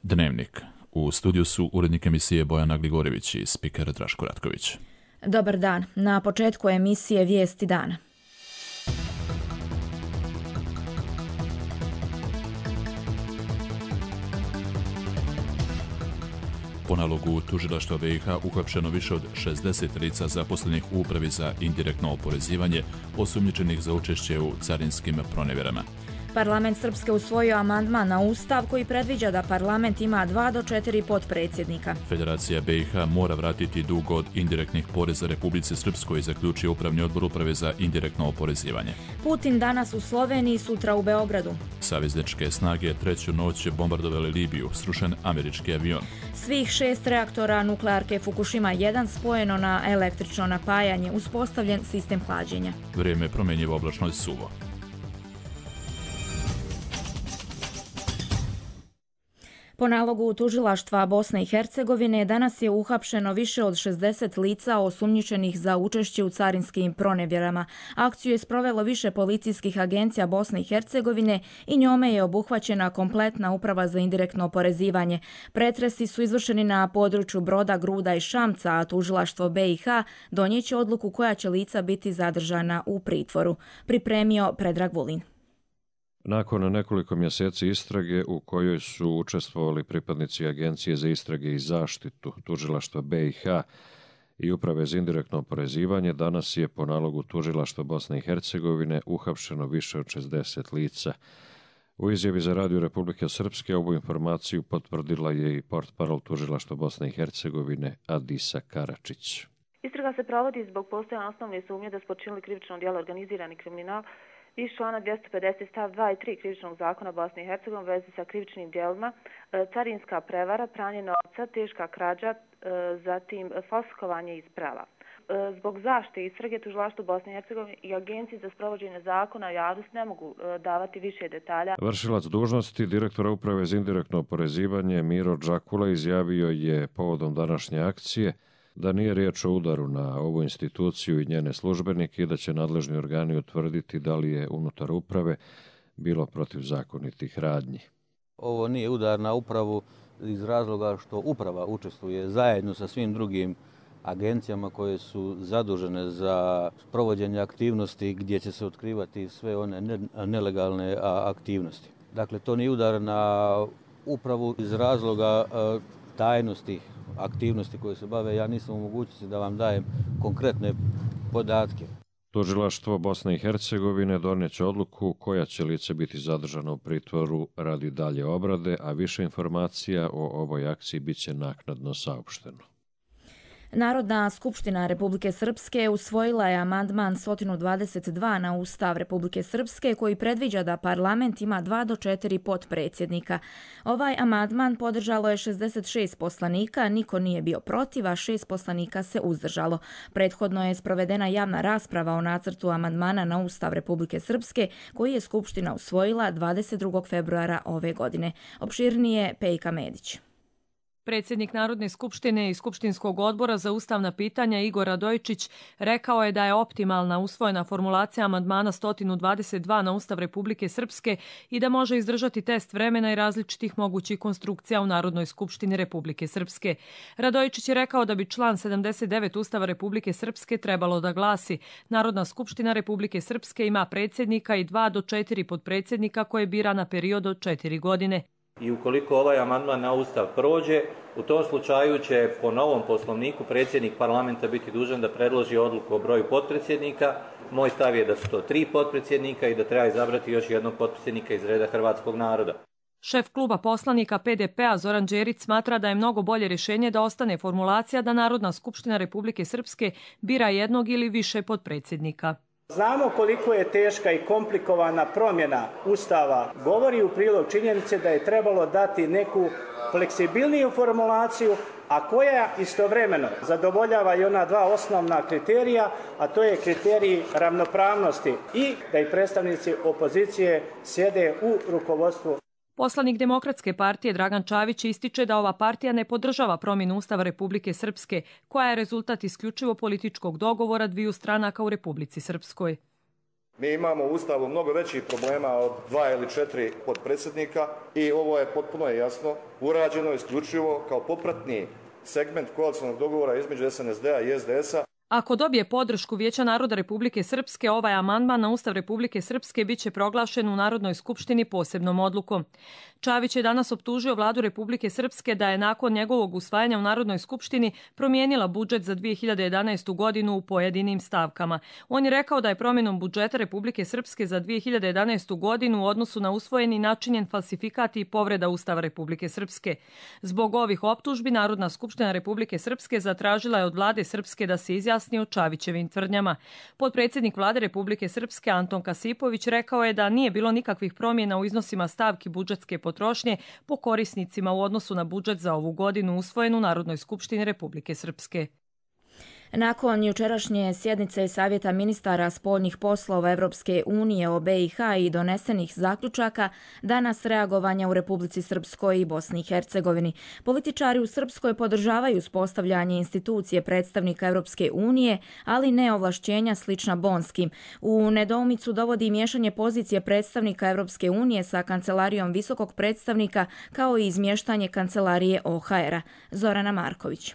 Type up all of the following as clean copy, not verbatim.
Dnevnik. U studiju su urednik emisije Bojana Gligorević i spiker Draško Ratković. Dobar dan. Na početku emisije Vijesti dana. Po nalogu tužilaštva BiH uhapšeno više od 60 lica zaposlenih u Upravi za indirektno oporezivanje, osumnjičenih za učešće u carinskim pronevjerama. Parlament Srpske usvojio amandman na Ustav koji predviđa da parlament ima 2 do 4 potpredsjednika. Federacija BiH mora vratiti dug od indirektnih poreza Republici Srpskoj, zaključio Upravni odbor Uprave za indirektno oporezivanje. Putin danas u Sloveniji, sutra u Beogradu. Savezničke snage treću noć bombardovali Libiju, srušen američki avion. Svih 6 reaktora nuklearke Fukushima 1 spojeno na električno napajanje, uspostavljen sistem hlađenja. Vrijeme promjenjivo, oblačno i suvo. Po nalogu tužilaštva Bosne i Hercegovine danas je uhapšeno više od 60 lica osumnjičenih za učešće u carinskim pronevjerama. Akciju je sprovelo više policijskih agencija Bosne i Hercegovine i njome je obuhvaćena kompletna Uprava za indirektno oporezivanje. Pretresi su izvršeni na području Broda, Gruda i Šamca, a tužilaštvo BiH donijeće odluku koja će lica biti zadržana u pritvoru. Pripremio Predrag Vulin. Nakon nekoliko mjeseci istrage u kojoj su učestvovali pripadnici Agencije za istrage i zaštitu, tužilaštva BiH i Uprave za indirektno oporezivanje, danas je po nalogu tužilaštva Bosne i Hercegovine uhapšeno više od 60 lica. U izjavi za Radio Republike Srpske ovu informaciju potvrdila je i portparol tužilaštva Bosne i Hercegovine Adisa Karačić. Istraga se provodi zbog postojanja osnovne sumnje da su počinili krivično djelo organizirani kriminal iz člana 250 stav 2 i 3 krivičnog zakona Bosne i Hercegovine u vezi sa krivičnim djelima, carinska prevara, pranje novca, teška krađa, zatim falsifikovanje isprava. Zbog zaštite istrage tužilaštvo Bosne i Hercegovine i Agenciji za sprovođenje zakona javnost ne mogu davati više detalja. Vršilac dužnosti direktora Uprave za indirektno oporezivanje Miro Džakula izjavio je povodom današnje akcije da nije riječ o udaru na ovu instituciju i njene službenike i da će nadležni organi utvrditi da li je unutar uprave bilo protivzakonitih radnji. Ovo nije udar na upravu iz razloga što uprava učestvuje zajedno sa svim drugim agencijama koje su zadužene za provođenje aktivnosti gdje će se otkrivati sve one nelegalne aktivnosti. Dakle, to nije udar na upravu iz razloga tajnosti aktivnosti koje se bave. Ja nisam u mogućnosti da vam dajem konkretne podatke. Tužilaštvo Bosne i Hercegovine donijeće odluku koja će lice biti zadržano u pritvoru radi dalje obrade, a više informacija o ovoj akciji bit će naknadno saopšteno. Narodna skupština Republike Srpske usvojila je amandman 122 na Ustav Republike Srpske koji predviđa da parlament ima 2 do 4 potpredsjednika. Ovaj amandman podržalo je 66 poslanika, niko nije bio protiv, a 6 poslanika se uzdržalo. Prethodno je sprovedena javna rasprava o nacrtu amandmana na Ustav Republike Srpske koji je skupština usvojila 22. februara ove godine. Opširnije Pejka Medić. Predsjednik Narodne skupštine i Skupštinskog odbora za ustavna pitanja Igor Radojičić rekao je da je optimalna usvojena formulacija amandmana 122 na Ustav Republike Srpske i da može izdržati test vremena i različitih mogućih konstrukcija u Narodnoj skupštini Republike Srpske. Radojičić je rekao da bi član 79 Ustava Republike Srpske trebalo da glasi: Narodna skupština Republike Srpske ima predsjednika i 2 do 4 potpredsjednika koje bira na period od 4 godine. I ukoliko ovaj amandman na Ustav prođe, u tom slučaju će po novom poslovniku predsjednik parlamenta biti dužan da predloži odluku o broju potpredsjednika. Moj stav je da su to 3 potpredsjednika i da treba izabrati još jednog potpredsjednika iz reda hrvatskog naroda. Šef kluba poslanika PDP-a Zoran Đerić smatra da je mnogo bolje rješenje da ostane formulacija da Narodna skupština Republike Srpske bira jednog ili više potpredsjednika. Znamo koliko je teška i komplikovana promjena Ustava. Govori u prilog činjenice da je trebalo dati neku fleksibilniju formulaciju, a koja istovremeno zadovoljava i ona 2 osnovna kriterija, a to je kriterij ravnopravnosti i da i predstavnici opozicije sjede u rukovodstvu. Poslanik Demokratske partije Dragan Čavić ističe da ova partija ne podržava promjenu Ustava Republike Srpske, koja je rezultat isključivo političkog dogovora dviju stranaka u Republici Srpskoj. Mi imamo u Ustavu mnogo većih problema od 2 ili 4 potpredsjednika i ovo je potpuno jasno urađeno isključivo kao popratni segment koalicionog dogovora između SNSD-a i SDS-a. Ako dobije podršku Vijeća naroda Republike Srpske, ovaj amandman na Ustav Republike Srpske biće proglašen u Narodnoj skupštini posebnom odlukom. Čavić je danas optužio vladu Republike Srpske da je nakon njegovog usvajanja u Narodnoj skupštini promijenila budžet za 2011. godinu u pojedinim stavkama. On je rekao da je promjenom budžeta Republike Srpske za 2011. godinu u odnosu na usvojeni načinjen falsifikat i povreda Ustava Republike Srpske. Zbog ovih optužbi Narodna skupština Republike Srpske zatražila je od vlade Srpske da se izjasni o Čavićevim tvrdnjama. Potpredsjednik vlade Republike Srpske Anton Kasipović rekao je da nije bilo nikakvih promjena u iznosima stavki budžetske potrošnje po korisnicima u odnosu na budžet za ovu godinu usvojen u Narodnoj skupštini Republike Srpske. Nakon jučerašnje sjednice Savjeta ministara spoljnih poslova Evropske unije o BiH i donesenih zaključaka, danas reagovanja u Republici Srpskoj i Bosni i Hercegovini. Političari u Srpskoj podržavaju uspostavljanje institucije predstavnika Evropske unije, ali ne ovlašćenja slična bonskim. U nedoumicu dovodi miješanje pozicije predstavnika Evropske unije sa kancelarijom visokog predstavnika, kao i izmještanje kancelarije OHR-a. Zorana Marković.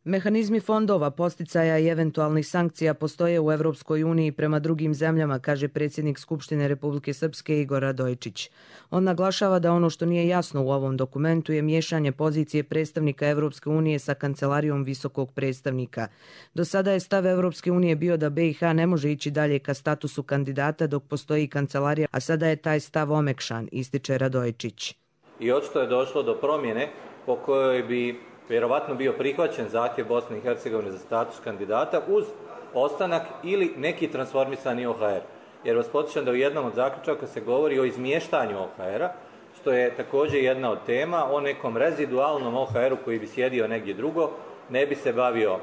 Mehanizmi fondova, posticaja i eventualnih sankcija postoje u Evropskoj uniji prema drugim zemljama, kaže predsjednik Skupštine Republike Srpske Igor Radojičić. On naglašava da ono što nije jasno u ovom dokumentu je miješanje pozicije predstavnika Evropske unije sa kancelarijom visokog predstavnika. Do sada je stav Evropske unije bio da BiH ne može ići dalje ka statusu kandidata dok postoji kancelarija, a sada je taj stav omekšan, ističe Radojičić. I očito je došlo do promjene po kojoj bi vjerovatno bio prihvaćen zahtjev Bosne i Hercegovine za status kandidata uz ostanak ili neki transformisani OHR. Jer vas podsjećam da u jednom od zaključaka se govori o izmještanju OHR-a, što je također jedna od tema, o nekom rezidualnom OHR-u koji bi sjedio negdje drugo, ne bi se bavio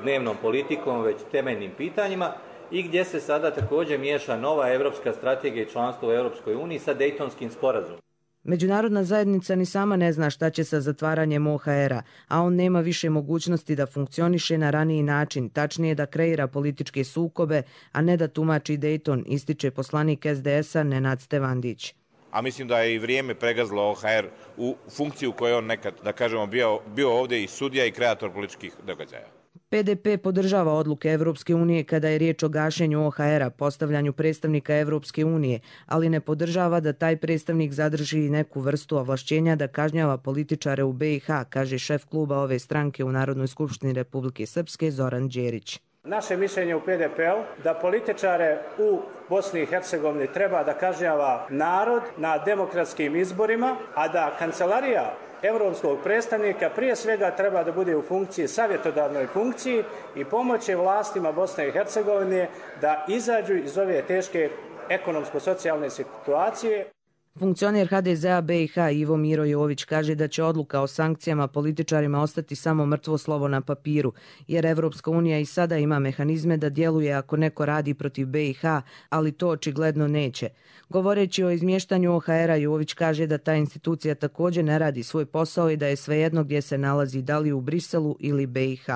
dnevnom politikom, već temeljnim pitanjima i gdje se sada također miješa nova evropska strategija i članstvo u Europskoj uniji sa Dejtonskim sporazumom. Međunarodna zajednica ni sama ne zna šta će sa zatvaranjem OHR-a, a on nema više mogućnosti da funkcioniše na raniji način, tačnije da kreira političke sukobe, a ne da tumači Dejton, ističe poslanik SDS-a Nenad Stevandić. A mislim da je i vrijeme pregazilo OHR u funkciju koju je on nekad, da kažemo, bio ovdje i sudija i kreator političkih događaja. PDP podržava odluke Evropske unije kada je riječ o gašenju OHR-a, postavljanju predstavnika Evropske unije, ali ne podržava da taj predstavnik zadrži neku vrstu ovlašćenja da kažnjava političare u BiH, kaže šef kluba ove stranke u Narodnoj skupštini Republike Srpske Zoran Đerić. Naše mišljenje u PDP-u da političare u Bosni i Hercegovini treba da kažnjava narod na demokratskim izborima, a da kancelarija evropskog predstavnika prije svega treba da bude u funkciji, savjetodavnoj funkciji i pomoći vlastima Bosne i Hercegovine da izađu iz ove teške ekonomsko-socijalne situacije. Funkcioner HDZ-a BiH Ivo Miro Jović kaže da će odluka o sankcijama političarima ostati samo mrtvo slovo na papiru, jer Evropska unija i sada ima mehanizme da djeluje ako neko radi protiv BiH, ali to očigledno neće. Govoreći o izmještanju OHR-a, Jović kaže da ta institucija također ne radi svoj posao i da je svejedno gdje se nalazi, da li u Briselu ili BiH.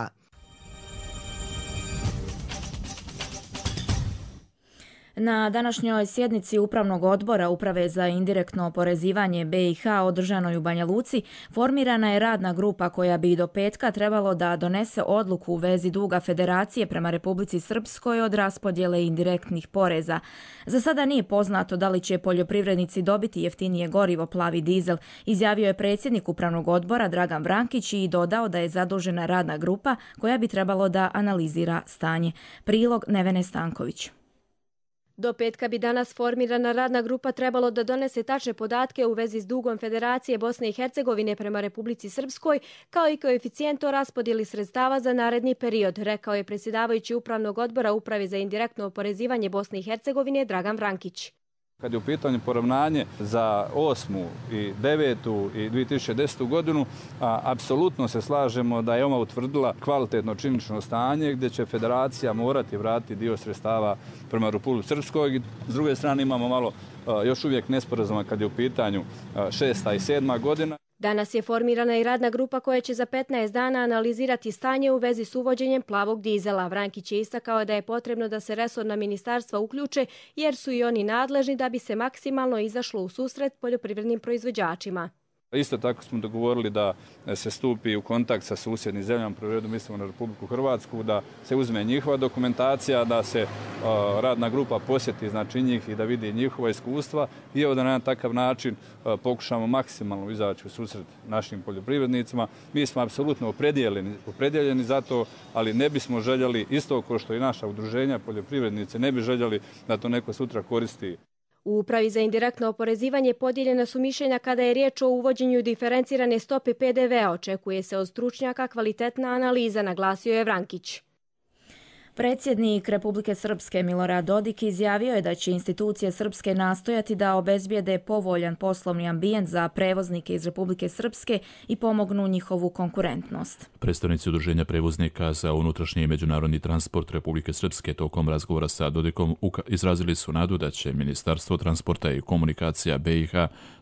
Na današnjoj sjednici Upravnog odbora Uprave za indirektno oporezivanje BiH održanoj u Banja Luci formirana je radna grupa koja bi do petka trebalo da donese odluku u vezi duga Federacije prema Republici Srpskoj od raspodjele indirektnih poreza. Za sada nije poznato da li će poljoprivrednici dobiti jeftinije gorivo plavi dizel, izjavio je predsjednik Upravnog odbora Dragan Vrankić i dodao da je zadužena radna grupa koja bi trebalo da analizira stanje. Prilog Nevene Stanković. Do petka bi danas formirana radna grupa trebalo da donese tačne podatke u vezi s dugom Federacije Bosne i Hercegovine prema Republici Srpskoj, kao i koeficijent o raspodjeli sredstava za naredni period, rekao je predsjedavajući Upravnog odbora Uprave za indirektno oporezivanje Bosne i Hercegovine Dragan Vrankić. Kad je u pitanju poravnanje za 8. i 9. i 2010. godinu, apsolutno se slažemo da je ona utvrdila kvalitetno činjenično stanje gdje će Federacija morati vratiti dio sredstava prema Republici Srpskoj. S druge strane imamo malo još uvijek nesporazuma kad je u pitanju 6. i 7. godina. Danas je formirana i radna grupa koja će za 15 dana analizirati stanje u vezi s uvođenjem plavog dizela. Vrankić je istakao da je potrebno da se resorna ministarstva uključe jer su i oni nadležni da bi se maksimalno izašlo u susret poljoprivrednim proizvođačima. Isto tako smo dogovorili da se stupi u kontakt sa susjednim zemljama, prvo redu mislimo na Republiku Hrvatsku, da se uzme njihova dokumentacija, da se radna grupa posjeti znači njih i da vidi njihova iskustva i evo da na takav način pokušamo maksimalno izaći u susret našim poljoprivrednicima. Mi smo apsolutno opredjeljeni za to, ali ne bismo željeli, isto kao što i naša udruženja poljoprivrednice, ne bi željeli da to neko sutra koristi. U Upravi za indirektno oporezivanje podijeljena su mišljenja kada je riječ o uvođenju diferencirane stope PDV-a. Očekuje se od stručnjaka kvalitetna analiza, naglasio je Vrankić. Predsjednik Republike Srpske Milorad Dodik izjavio je da će institucije Srpske nastojati da obezbijede povoljan poslovni ambijent za prevoznike iz Republike Srpske i pomognu njihovu konkurentnost. Predstavnici Udruženja prevoznika za unutrašnji i međunarodni transport Republike Srpske tokom razgovora sa Dodikom izrazili su nadu da će Ministarstvo transporta i komunikacija BiH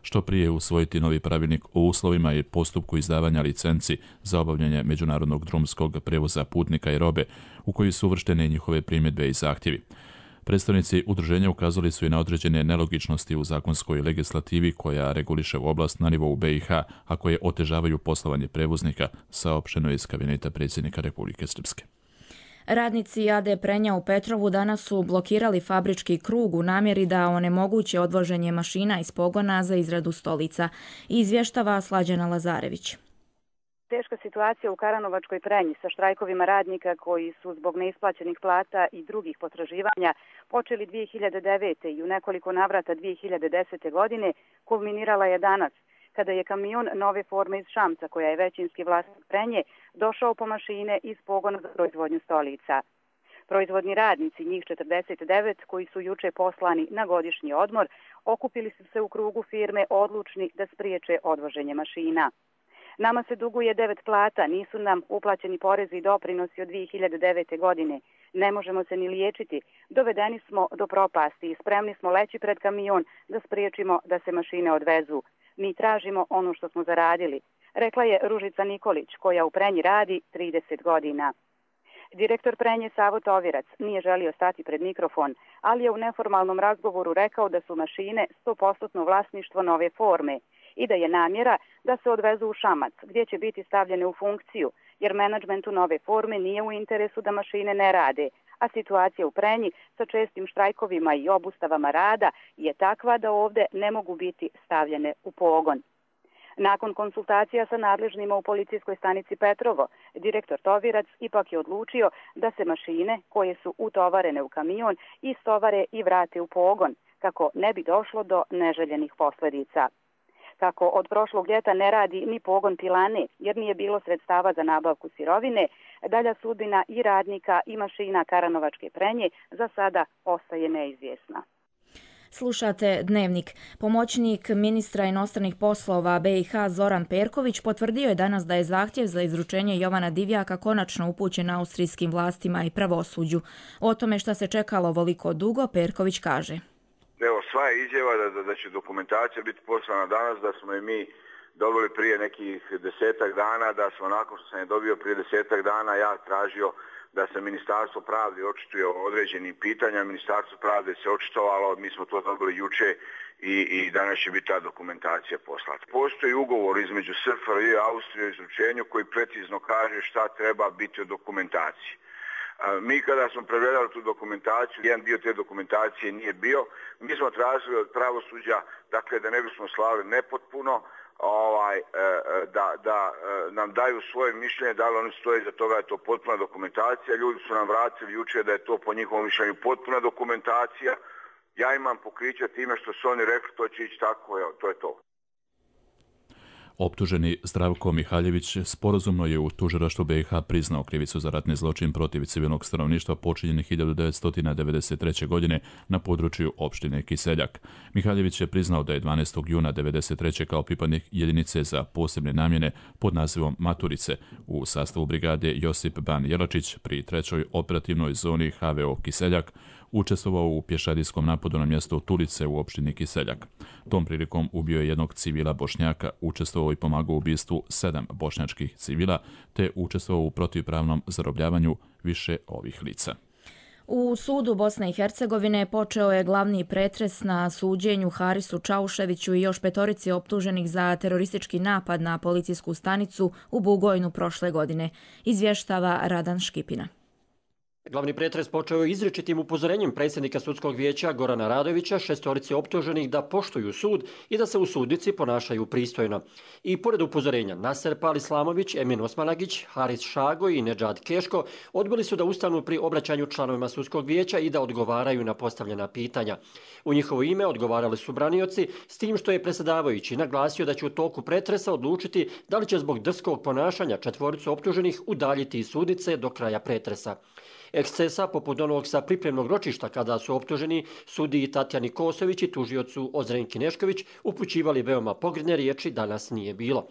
što prije usvojiti novi pravilnik o uslovima i postupku izdavanja licenci za obavljanje međunarodnog drumskog prevoza putnika i robe, u koji su uvrštene njihove primjedbe i zahtjevi. Predstavnici udruženja ukazali su i na određene nelogičnosti u zakonskoj legislativi koja reguliše u oblast na nivou BiH, a koje otežavaju poslovanje prevoznika, saopšteno je iz kabineta predsjednika Republike Srpske. Radnici AD Prenja u Petrovu danas su blokirali fabrički krug u namjeri da onemoguće odvoženje mašina iz pogona za izradu stolica. Izvještava Slađana Lazarević. Teška situacija u Karanovačkoj Prenji sa štrajkovima radnika koji su zbog neisplaćenih plata i drugih potraživanja počeli 2009. i u nekoliko navrata 2010. godine kulminirala je danas, kada je kamion nove forme iz Šamca, koja je većinski vlasnik Prenje, došao po mašine iz pogona za proizvodnju stolica. Proizvodni radnici, njih 49, koji su juče poslani na godišnji odmor, okupili su se u krugu firme odlučni da spriječe odvoženje mašina. Nama se duguje 9 plata, nisu nam uplaćeni porezi i doprinosi od 2009. godine. Ne možemo se ni liječiti. Dovedeni smo do propasti i spremni smo leći pred kamion da spriječimo da se mašine odvezu. Mi tražimo ono što smo zaradili, rekla je Ružica Nikolić, koja u Prenji radi 30 godina. Direktor Prenje Savo Tovirac nije želio stati pred mikrofon, ali je u neformalnom razgovoru rekao da su mašine 100% vlasništvo nove forme i da je namjera da se odvezu u Šamac, gdje će biti stavljene u funkciju, jer menadžmentu nove forme nije u interesu da mašine ne rade, a situacija u Prenji sa čestim štrajkovima i obustavama rada je takva da ovdje ne mogu biti stavljene u pogon. Nakon konsultacija sa nadležnima u policijskoj stanici Petrovo, direktor Tovirac ipak je odlučio da se mašine koje su utovarene u kamion istovare i vrate u pogon, kako ne bi došlo do neželjenih posljedica. Kako od prošlog ljeta ne radi ni pogon pilane, jer nije bilo sredstava za nabavku sirovine, dalja sudbina i radnika i mašina Karanovačke Prenje za sada ostaje neizvjesna. Slušate Dnevnik. Pomoćnik ministra inostranih poslova BiH Zoran Perković potvrdio je danas da je zahtjev za izručenje Jovana Divjaka konačno upućen austrijskim vlastima i pravosuđu. O tome šta se čekalo ovoliko dugo, Perković kaže. Evo, sva je izjava da će dokumentacija biti poslana danas, da smo je mi dobili prije nekih 10 dana, da smo nakon što sam je dobio prije 10 dana ja tražio da se Ministarstvo pravde očituje o određenim pitanjima. Ministarstvo pravde se očitovalo, mi smo to dobili juče i danas će biti ta dokumentacija poslata. Postoji ugovor između SFRJ i Austrije o izručenju koji precizno kaže šta treba biti u dokumentaciji. Mi kada smo pregledali tu dokumentaciju, jedan dio te dokumentacije nije bio. Mi smo tražili od pravosuđa, dakle da ne bismo slali nepotpuno, da nam daju svoje mišljenje, da li oni stoje za toga je to potpuna dokumentacija. Ljudi su nam vratili jučer da je to po njihovom mišljenju potpuna dokumentacija. Ja imam pokriće time što su oni rekli to će ići tako, evo, to je to. Optuženi Zdravko Mihaljević sporazumno je u tužilaštvu BiH priznao krivicu za ratni zločin protiv civilnog stanovništva počinjen 1993. godine na području opštine Kiseljak. Mihaljević je priznao da je 12. juna 1993. kao pripadnik jedinice za posebne namjene pod nazivom Maturice u sastavu brigade Josip Ban Jelačić pri 3. operativnoj zoni HVO Kiseljak učestvovao u pješadijskom napadu na mjesto Tulice u opštini Kiseljak. Tom prilikom ubio je jednog civila Bošnjaka, učestvovao i pomagao u ubistvu 7 bošnjačkih civila, te učestvovao u protivpravnom zarobljavanju više ovih lica. U sudu Bosne i Hercegovine počeo je glavni pretres na suđenju Harisu Čauševiću i još 5 optuženih za teroristički napad na policijsku stanicu u Bugojnu prošle godine, izvještava Radan Škipina. Glavni pretres počeo je izričitim upozorenjem predsjednika sudskog vijeća Gorana Radovića 6 optuženih da poštuju sud i da se u sudnici ponašaju pristojno. I pored upozorenja Naser Pal Islamović, Emin Osmanagić, Haris Šago i Nedžad Keško odbili su da ustanu pri obraćanju članovima sudskog vijeća i da odgovaraju na postavljena pitanja. U njihovo ime odgovarali su branioci, s tim što je predsjedavajući naglasio da će u toku pretresa odlučiti da li će zbog drskog ponašanja 4 optuženih udaljiti iz sudnice do kraja pretresa. Ekscesa, poput onog sa pripremnog ročišta kada su optuženi sudiji Tatjani Kosović i tužiocu Ozrenki Nešković upućivali veoma pogrdne riječi, danas nije bilo.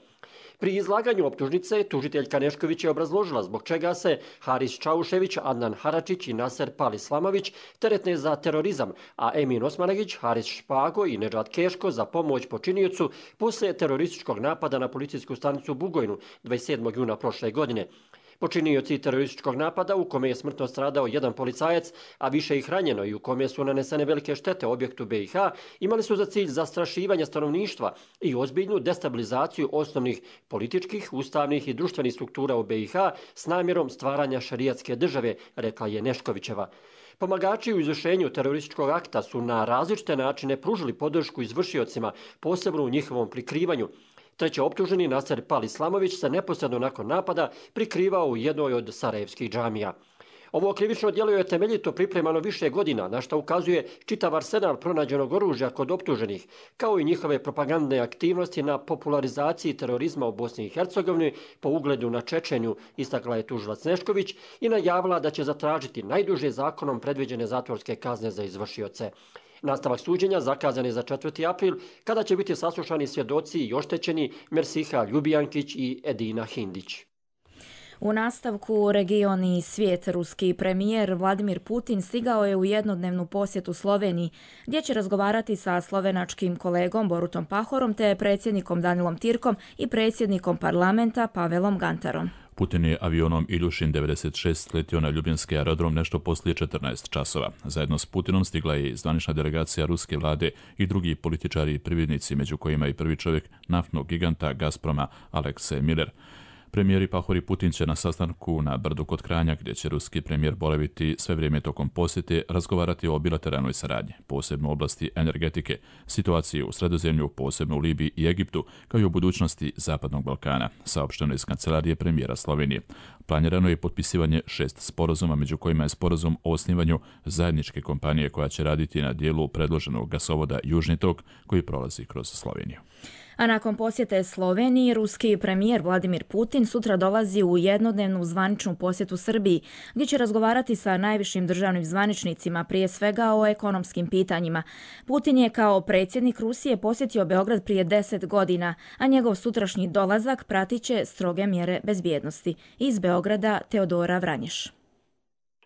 Pri izlaganju optužnice tužiteljka Nešković je obrazložila zbog čega se Haris Čaušević, Adnan Haračić i Naser Pal Islamović teretne za terorizam, a Emin Osmanagić, Haris Špago i Nedžad Keško za pomoć počiniocu poslije terorističkog napada na policijsku stanicu u Bugojnu 27. juna prošle godine. Počinioci terorističkog napada u kome je smrtno stradao jedan policajac, a više ih ranjeno i u kome su nanesene velike štete objektu BiH, imali su za cilj zastrašivanje stanovništva i ozbiljnu destabilizaciju osnovnih političkih, ustavnih i društvenih struktura u BiH s namjerom stvaranja šerijatske države, rekla je Neškovićeva. Pomagači u izvršenju terorističkog akta su na različite načine pružili podršku izvršiocima, posebno u njihovom prikrivanju. 3. optuženi Naser Pal Islamović se neposredno nakon napada prikrivao u jednoj od sarajevskih džamija. Ovo krivično djelo je temeljito pripremano više godina, na što ukazuje čitav arsenal pronađenog oružja kod optuženih, kao i njihove propagandne aktivnosti na popularizaciji terorizma u Bosni i Hercegovini po ugledu na Čečenju, istakla je tužilac Nešković i najavila da će zatražiti najduže zakonom predviđene zatvorske kazne za izvršioce. Nastavak suđenja zakazan je za 4. april, kada će biti saslušani svjedoci i oštećeni Mersiha Ljubijankić i Edina Hindić. U nastavku region i svijet, ruski premijer Vladimir Putin stigao je u jednodnevnu posjetu Sloveniji, gdje će razgovarati sa slovenačkim kolegom Borutom Pahorom te predsjednikom Danilom Tirkom i predsjednikom parlamenta Pavelom Gantarom. Putin je avionom Iljušin 96 letio na Ljubljanski aerodrom nešto poslije 14 časova. Zajedno s Putinom stigla je i zvanična delegacija ruske vlade i drugi političari i privrednici, među kojima i prvi čovjek naftnog giganta Gazproma Aleksej Miller. Premijeri Pahor i Putin će na sastanku na Brdu kod Kranja, gdje će ruski premijer boraviti sve vrijeme tokom posjete, razgovarati o bilateralnoj saradnji, posebno u oblasti energetike, situaciji u Sredozemlju, posebno u Libiji i Egiptu, kao i u budućnosti Zapadnog Balkana, saopšteno iz kancelarije premijera Slovenije. Planirano je potpisivanje 6 sporazuma, među kojima je sporazum o osnivanju zajedničke kompanije koja će raditi na dijelu predloženog gasovoda Južni tok koji prolazi kroz Sloveniju. A nakon posjete Sloveniji, ruski premijer Vladimir Putin sutra dolazi u jednodnevnu zvaničnu posjetu Srbiji, gdje će razgovarati sa najvišim državnim zvaničnicima, prije svega o ekonomskim pitanjima. Putin je kao predsjednik Rusije posjetio Beograd prije 10 godina, a njegov sutrašnji dolazak pratit će stroge mjere bezbjednosti. Iz Beograda Teodora Vranješ.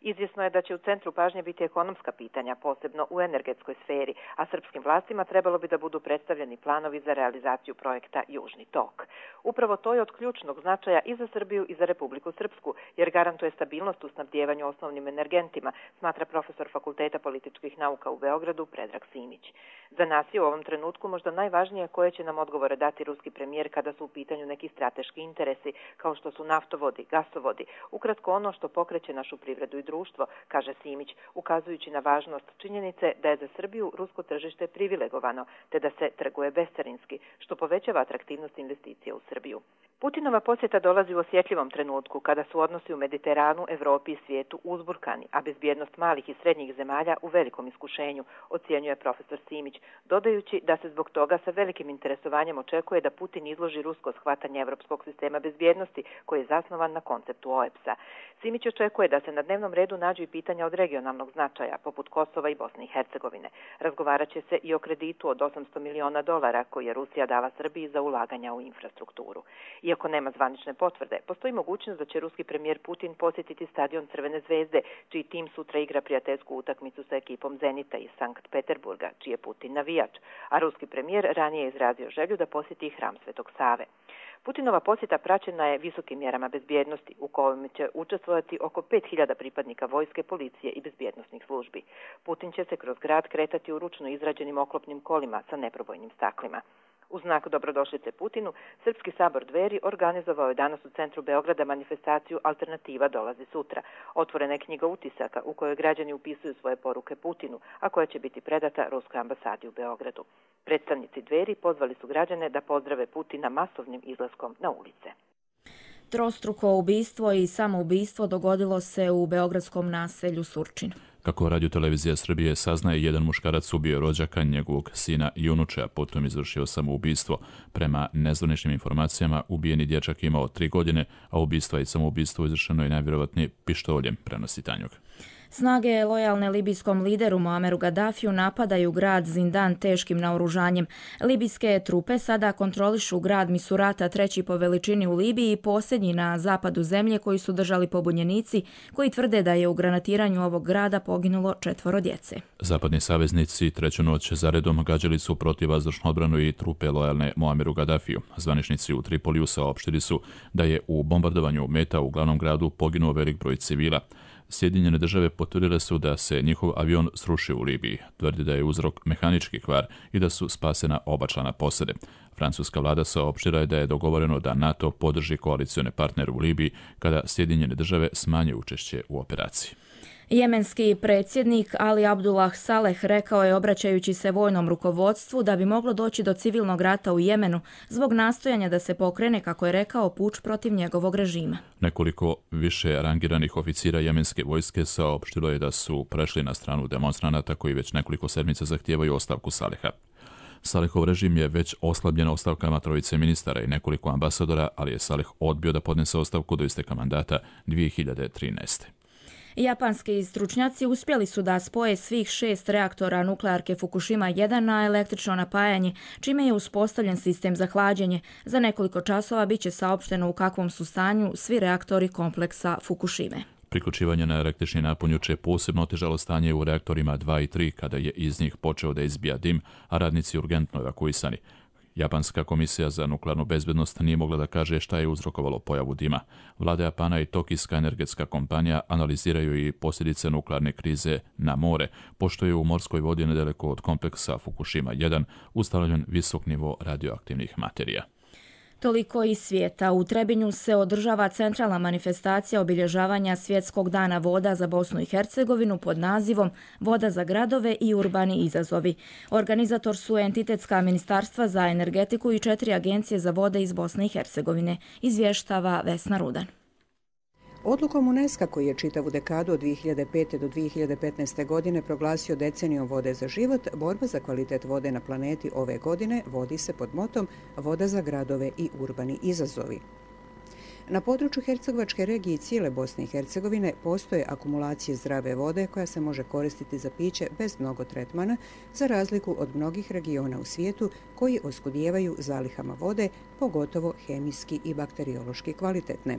Izvjesno je da će u centru pažnje biti ekonomska pitanja, posebno u energetskoj sferi, a srpskim vlastima trebalo bi da budu predstavljeni planovi za realizaciju projekta Južni tok. Upravo to je od ključnog značaja i za Srbiju i za Republiku Srpsku, jer garantuje stabilnost u snabdijevanju osnovnim energentima, smatra profesor Fakulteta političkih nauka u Beogradu Predrag Simić. Za nas je u ovom trenutku možda najvažnije koje će nam odgovore dati ruski premijer kada su u pitanju neki strateški interesi, kao što su naftovodi, gasovodi, ukratko ono što pokreće našu privredu i društvo, kaže Simić, ukazujući na važnost činjenice da je za Srbiju rusko tržište privilegovano, te da se trguje bescarinski, što povećava atraktivnost investicija u Srbiju. Putinova posjeta dolazi u osjetljivom trenutku, kada su odnosi u Mediteranu, Evropi i svijetu uzburkani, a bezbjednost malih i srednjih zemalja u velikom iskušenju, ocjenjuje profesor Simić, dodajući da se zbog toga sa velikim interesovanjem očekuje da Putin izloži rusko shvatanje evropskog sistema bezbjednosti, koji je zasnovan na konceptu OEPS-a. Simić očekuje da se na dnevnom redu nađu i pitanja od regionalnog značaja, poput Kosova i Bosne i Hercegovine. Razgovarat će se i o kreditu od $800 miliona koji je Rusija dala Srbiji za ulaganja u infrastrukturu. Iako nema zvanične potvrde, postoji mogućnost da će ruski premijer Putin posjetiti stadion Crvene zvezde, čiji tim sutra igra prijateljsku utakmicu sa ekipom Zenita iz Sankt Peterburga, čiji je Putin navijač, a ruski premijer ranije je izrazio želju da posjeti hram Svetog Save. Putinova posjeta praćena je visokim mjerama bezbjednosti, u kojima će učestvovati oko 5000 pripadnika vojske, policije i bezbjednosnih službi. Putin će se kroz grad kretati u ručno izrađenim oklopnim kolima sa neprobojnim staklima. U znak dobrodošlice Putinu, Srpski sabor Dveri organizovao je danas u centru Beograda manifestaciju Alternativa dolazi sutra. Otvorena je knjiga utisaka u kojoj građani upisuju svoje poruke Putinu, a koja će biti predata Ruskoj ambasadi u Beogradu. Predstavnici Dveri pozvali su građane da pozdrave Putina masovnim izlaskom na ulice. Trostruko ubistvo i samoubistvo dogodilo se u beogradskom naselju Surčin. Kako Radio-televizija Srbije saznaje, jedan muškarac ubio rođaka, njegovog sina i unuče, a potom izvršio samoubistvo. Prema nezvaničnim informacijama, ubijeni dječak imao 3 godine, a ubistva i samoubistvo izvršeno je najvjerovatnije pištoljem, prenosi Tanjug. Snage lojalne libijskom lideru Muameru Gaddafiju napadaju grad Zindan teškim naoružanjem. Libijske trupe sada kontrolišu grad Misurata, 3. po veličini u Libiji, posljednji na zapadu zemlje koji su držali pobunjenici, koji tvrde da je u granatiranju ovog grada poginulo 4 djece. Zapadni saveznici 3. noć zaredom gađali su protivvazdušnu odbranu i trupe lojalne Muameru Gaddafiju. Zvaničnici u Tripoliju saopštili su da je u bombardovanju meta u glavnom gradu poginuo velik broj civila. Sjedinjene države potvrdile su da se njihov avion srušio u Libiji. Tvrdi da je uzrok mehanički kvar i da su spasena oba člana posade. Francuska vlada saopštila je da je dogovoreno da NATO podrži koalicione partnere u Libiji kada Sjedinjene države smanje učešće u operaciji. Jemenski predsjednik Ali Abdullah Saleh rekao je, obraćajući se vojnom rukovodstvu, da bi moglo doći do civilnog rata u Jemenu zbog nastojanja da se pokrene, kako je rekao, puč protiv njegovog režima. Nekoliko više rangiranih oficira jemenske vojske saopštilo je da su prešli na stranu demonstranata koji već nekoliko sedmica zahtijevaju ostavku Saleha. Salehov režim je već oslabljen ostavkama 3 ministara i nekoliko ambasadora, ali je Saleh odbio da podnese ostavku do isteka mandata 2013. Japanski stručnjaci uspjeli su da spoje svih 6 reaktora nuklearke Fukushima 1 na električno napajanje, čime je uspostavljen sistem za hlađenje. Za nekoliko časova bit će saopšteno u kakvom su stanju svi reaktori kompleksa Fukushime. Priključivanje na električni napon juče posebno otežalo stanje u reaktorima 2 i 3 kada je iz njih počeo da izbija dim, a radnici urgentno evakuisani. Japanska komisija za nuklearnu bezbednost nije mogla da kaže šta je uzrokovalo pojavu dima. Vlada Japana i Tokijska energetska kompanija analiziraju i posljedice nuklearne krize na more, pošto je u morskoj vodi nedaleko od kompleksa Fukushima 1 ustanovljen visok nivo radioaktivnih materija. Toliko iz svijeta. U Trebinju se održava centralna manifestacija obilježavanja Svjetskog dana voda za Bosnu i Hercegovinu pod nazivom Voda za gradove i urbani izazovi. Organizator su entitetska ministarstva za energetiku i 4 agencije za vode iz Bosne i Hercegovine, izvještava Vesna Rudan. Odlukom UNESCO koji je čitavu dekadu od 2005. do 2015. godine proglasio decenijom vode za život, borba za kvalitet vode na planeti ove godine vodi se pod motom Voda za gradove i urbani izazovi. Na području Hercegovačke regije i cijele Bosne i Hercegovine postoje akumulacije zdrave vode koja se može koristiti za piće bez mnogo tretmana, za razliku od mnogih regiona u svijetu koji oskudijevaju zalihama vode, pogotovo hemijski i bakteriološki kvalitetne.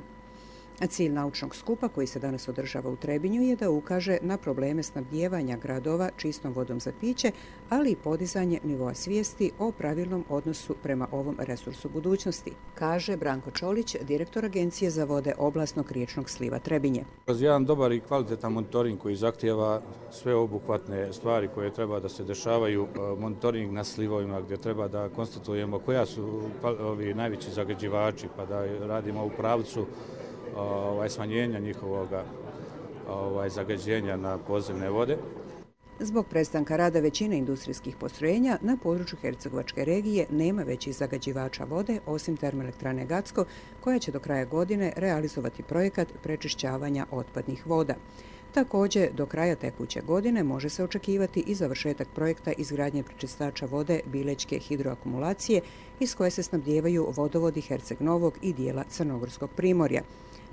Cilj naučnog skupa koji se danas održava u Trebinju je da ukaže na probleme snabdijevanja gradova čistom vodom za piće, ali i podizanje nivoa svijesti o pravilnom odnosu prema ovom resursu budućnosti, kaže Branko Čolić, direktor Agencije za vode oblasnog riječnog sliva Trebinje. Kroz jedan dobar i kvalitetan monitoring koji zahtijeva sve obuhvatne stvari koje treba da se dešavaju, monitoring na slivovima gdje treba da konstatujemo koja su ovi najveći zagađivači, pa da radimo u pravcu smanjenja njihovog zagađenja na podzemne vode. Zbog prestanka rada većine industrijskih postrojenja na području Hercegovačke regije nema većih zagađivača vode osim termoelektrane Gacko, koja će do kraja godine realizovati projekat prečišćavanja otpadnih voda. Također, do kraja tekuće godine može se očekivati i završetak projekta izgradnje prečistača vode Bilečke hidroakumulacije iz koje se snabdijevaju vodovodi Herceg Novog i dijela Crnogorskog primorja.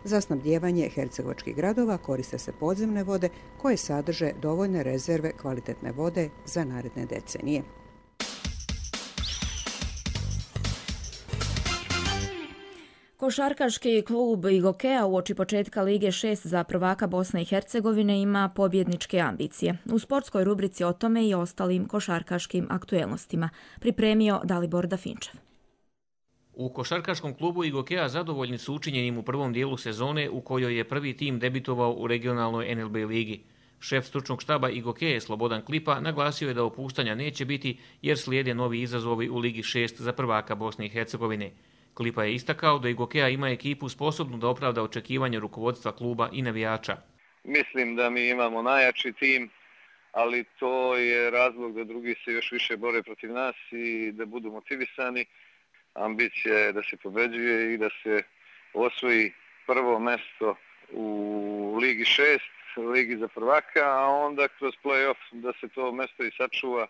Za snabdijevanje hercegovačkih gradova koriste se podzemne vode koje sadrže dovoljne rezerve kvalitetne vode za naredne decenije. Košarkaški klub Igokea uoči početka Lige 6 za prvaka Bosne i Hercegovine ima pobjedničke ambicije. U sportskoj rubrici o tome i ostalim košarkaškim aktuelnostima pripremio Dalibor Dafinčev. U košarkaškom klubu Igokea zadovoljni su učinjenim u prvom dijelu sezone u kojoj je prvi tim debitovao u regionalnoj NLB ligi. Šef stručnog štaba Igokee Slobodan Klipa naglasio je da opuštanja neće biti jer slijede novi izazovi u Ligi 6 za prvaka Bosne i Hercegovine. Klipa je istakao da Igokea ima ekipu sposobnu da opravda očekivanje rukovodstva kluba i navijača. Mislim da mi imamo najjači tim, ali to je razlog da drugi se još više bore protiv nas i da budu motivisani. Ambicija je da se pobeđuje i da se osvoji prvo mesto u Ligi 6, Ligi za prvaka, a onda kroz play-off da se to mesto i sačuva.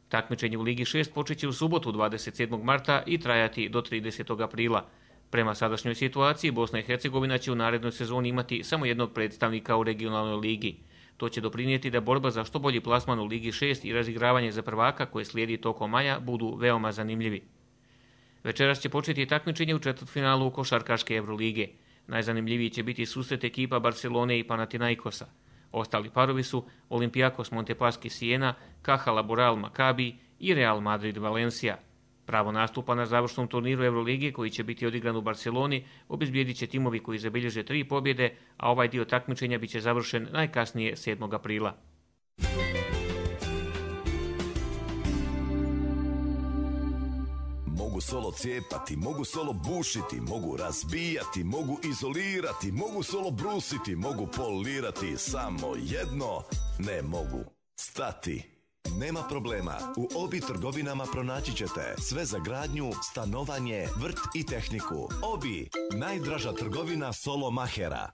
Takmičenje u Ligi 6 počeće u subotu 27. marta i trajati do 30. aprila. Prema sadašnjoj situaciji, Bosna i Hercegovina će u narednoj sezoni imati samo jednog predstavnika u regionalnoj ligi. To će doprinijeti da borba za što bolji plasman u Ligi 6 i razigravanje za prvaka koje slijedi tokom maja budu veoma zanimljivi. Večeras će početi takmičenje u četvrtfinalu košarkaške Evrolige. Najzanimljiviji će biti susret ekipa Barcelone i Panathinaikosa. Ostali parovi su Olympiakos Montepaschi Siena, Caja Laboral Maccabi i Real Madrid Valencia. Pravo nastupa na završnom turniru Evrolige koji će biti odigran u Barceloni obezbijedit će timovi koji zabilježe 3 pobjede, a ovaj dio takmičenja biće završen najkasnije 7. aprila. Mogu solo cijepati, mogu solo bušiti, mogu razbijati, mogu izolirati, mogu solo brusiti, mogu polirati, samo jedno ne mogu stati. Nema problema, u Obi trgovinama pronaći ćete sve za gradnju, stanovanje, vrt i tehniku. Obi, najdraža trgovina solo mahera.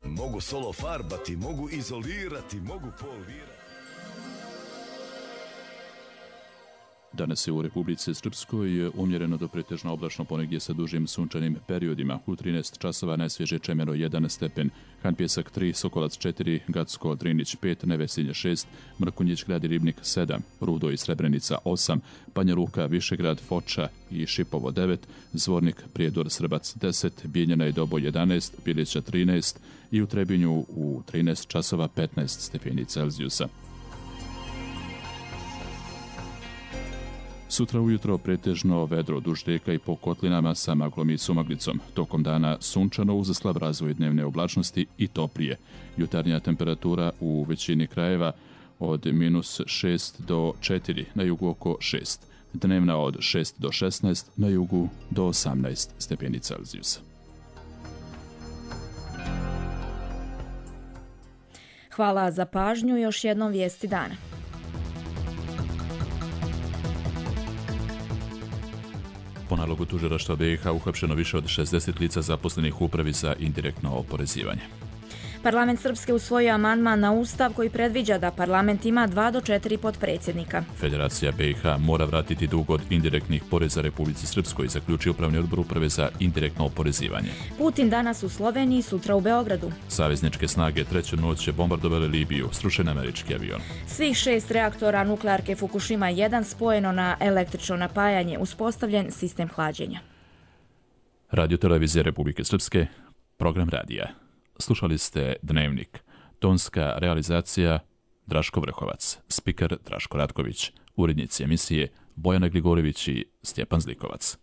Mogu solo farbati, mogu izolirati, mogu polirati. Danas je u Republici Srpskoj umjereno do pretežno oblačno, ponegdje sa dužim sunčanim periodima. U 13 časova najsvježe Čemero 1 stepen, Han Pjesak 3, Sokolac 4, Gacko Drinić 5, Nevesinje 6, Mrkonjić Grad i Ribnik 7, Rudo i Srebrenica 8, Banja Luka, Višegrad, Foča i Šipovo 9, Zvornik, Prijedor, Srbac 10, Bijeljana i Dobo 11, Bilića 13 i u Trebinju u 13 časova 15 stepeni Celzijusa. Sutra ujutro pretežno vedro duž rijeka i po kotlinama sa maglom i sumaglicom. Tokom dana sunčano uz slab razvoj dnevne oblačnosti i toplije. Jutarnja temperatura u većini krajeva od -6 do 4, na jugu oko 6. Dnevna od 6 do 16, na jugu do 18 stepeni Celzijusa. Hvala za pažnju, još jednom vijesti dana. Po nalogu tužilaštva BiH uhapšeno više od 60 lica zaposlenih u upravi za indirektno oporezivanje. Parlament Srpske usvojio amandman na Ustav koji predviđa da parlament ima 2 do 4 potpredsjednika. Federacija BiH mora vratiti dug od indirektnih poreza Republici Srpskoj, zaključio upravni odbor uprave za indirektno oporezivanje. Putin danas u Sloveniji, sutra u Beogradu. Savezničke snage treću noć bombardovale Libiju, srušen američki avion. Svih 6 reaktora nuklearke Fukushima 1 spojeno na električno napajanje, uspostavljen sistem hlađenja. Radio Televizija Republike Srpske, program radija. Slušali ste Dnevnik. Tonska realizacija Draško Vrhovac, spiker Draško Ratković, urednici emisije Bojana Gligorević i Stjepan Zlikovac.